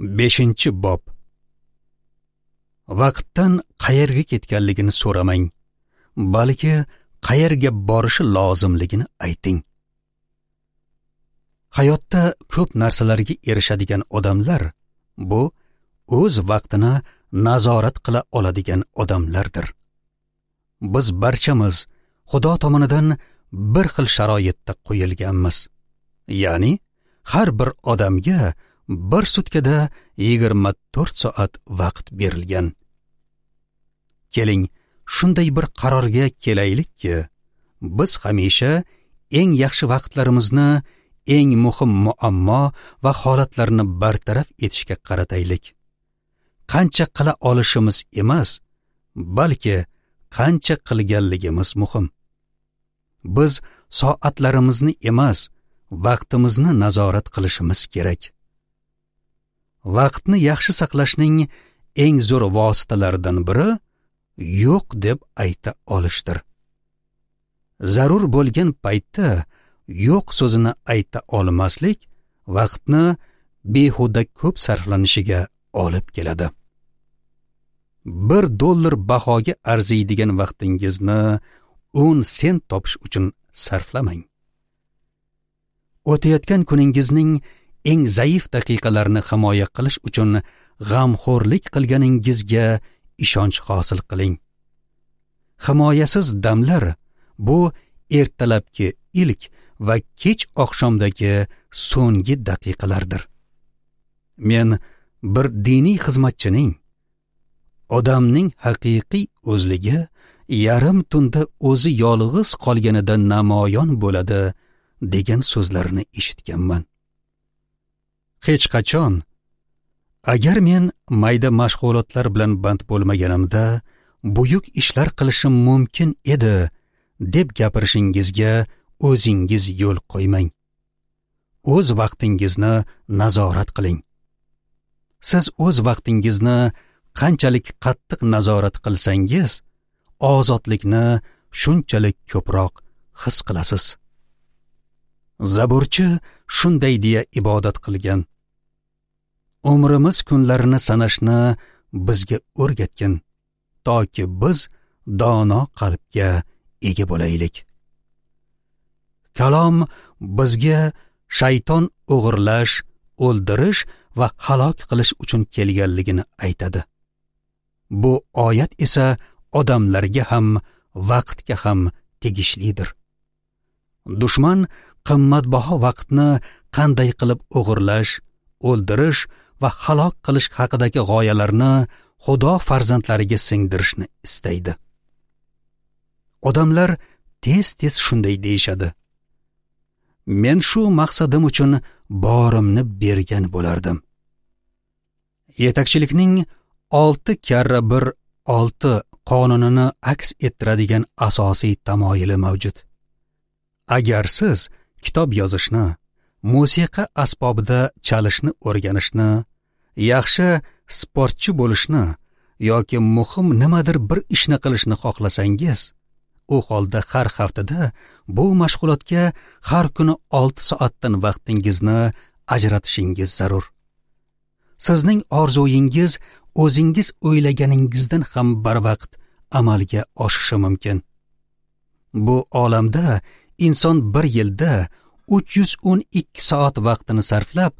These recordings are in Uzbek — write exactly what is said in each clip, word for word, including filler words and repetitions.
Beshinchi bob. Vaqtdan qayerga ketganligini so'ramang, balki qayerga borishi lozimligini ayting. Hayotda ko'p narsalarga erishadigan odamlar bu o'z vaqtini nazorat qila oladigan odamlardir. Biz barchamiz Xudo tomonidan bir xil sharoitda qo'yilganmiz. Ya'ni har bir odamga bir sutkada yigirma to'rt soat vaqt berilgan. Keling, shunday bir qarorga kelaylikki, biz hamisha eng yaxshi vaqtlarimizni eng muhim muammo va holatlarni bartaraf etishga qarataylik. Qancha qila olishimiz emas, balki qancha qilganligimiz muhim. Biz soatlarimizni emas, vaqtimizni nazorat qilishimiz kerak. Vaqtni yaxshi saqlashning eng zo'r vositalaridan biri yo'q deb ayta olishdir. Zarur bo'lgan paytda yo'q so'zini ayta olmaslik vaqtni behuda ko'p sarflanishiga olib keladi. Bir dollar bahoga arziydigan vaqtingizni o'n sent topish uchun sarflamang. O'tayotgan kuningizning eng zaif daqiqalarini himoya qilish uchun g'amxo'rlik qilganingizga ishonch hosil qiling. Himoyasiz damlar bu ertalabki ilk va kech oqshomdagi so'nggi daqiqalardir. Men bir diniy xizmatchining odamning haqiqiy o'zligi yarim tunda o'zi yolg'iz qolganida namoyon bo'ladi degan so'zlarini eshitganman. Hech qachon agar men mayda mashg'ulotlar bilan band bo'lmaganimda buyuk ishlar qilishim mumkin edi deb gapirishingizga o'zingiz yo'l qo'ymang. O'z vaqtingizni nazorat qiling. Siz o'z vaqtingizni qanchalik qattiq nazorat qilsangiz, ozodlikni shunchalik ko'proq his qilasiz. Zaburchi shunday deya ibodat qilgan: Umrimiz kunlarini sanashni bizga o'rgatgin, toki biz dono qalbga ega bo'laylik. Kalom bizga shayton o'g'irlash, o'ldirish va halok qilish uchun kelganligini aytadi. Bu oyat esa odamlarga ham, vaqtga ham tegishlidir. Dushman qimmatbaho vaqtni qanday qilib o'g'irlash, o'ldirish va halok qilish haqidagi g'oyalarni Xudo farzandlariga singdirishni istaydi. Odamlar tez-tez shunday deyishadi: Men shu maqsadim uchun borimni bergan bo'lardim. Yetakchilikning olti karra bir olti qonunini aks ettiradigan asosiy tamoyili mavjud. Agar siz kitob yozishni, musiqa asbobida chalishni o'rganishni, yaxshi sportchi bo'lishni yoki muhim nimadir bir ishni qilishni xohlasangiz, u holda har haftada bu mashg'ulotga har kuni olti soatdan vaqtingizni ajratishingiz zarur. Sizning orzuyingiz o'zingiz o'ylaganingizdan ham barvaqt amalga oshishi mumkin. Bu olamda inson bir yilda uch yuz o'n ikki soat vaqtini sarflab,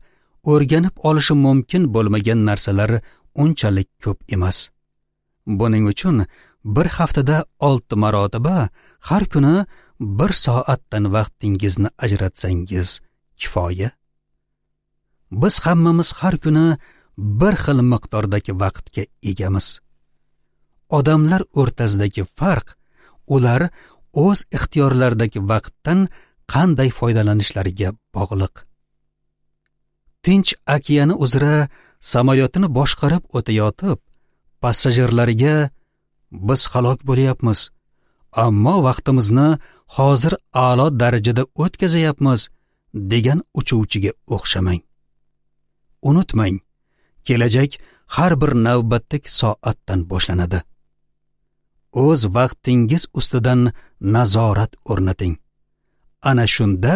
o'rganib olishi mumkin bo'lmagan narsalar unchalik ko'p emas. Buning uchun bir haftada olti marotaba har kuni bir soatdan vaqtingizni ajratsangiz kifoya. Biz hammamiz har kuni bir xil miqdordagi vaqtga egamiz. Odamlar o'rtasidagi farq ular o'z ixtiyorlaridagi vaqtdan qanday foydalanishlariga bog'liq. Tinch okeani uzra samolyotini boshqarib o'tayotib, passajirlarga biz halok bo'lyapmiz, ammo vaqtimizni hozir a'lo darajada o'tkazayapmiz degan uchuvchiga o'xshamang. Unutmang, kelajak har bir navbatdagi soatdan boshlanadi. O'z vaqtingiz ustidan nazorat o'rnating. Ana shunda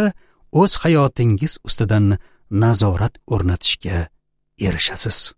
o'z hayotingiz ustidan nazorat o'rnatishga erishasiz.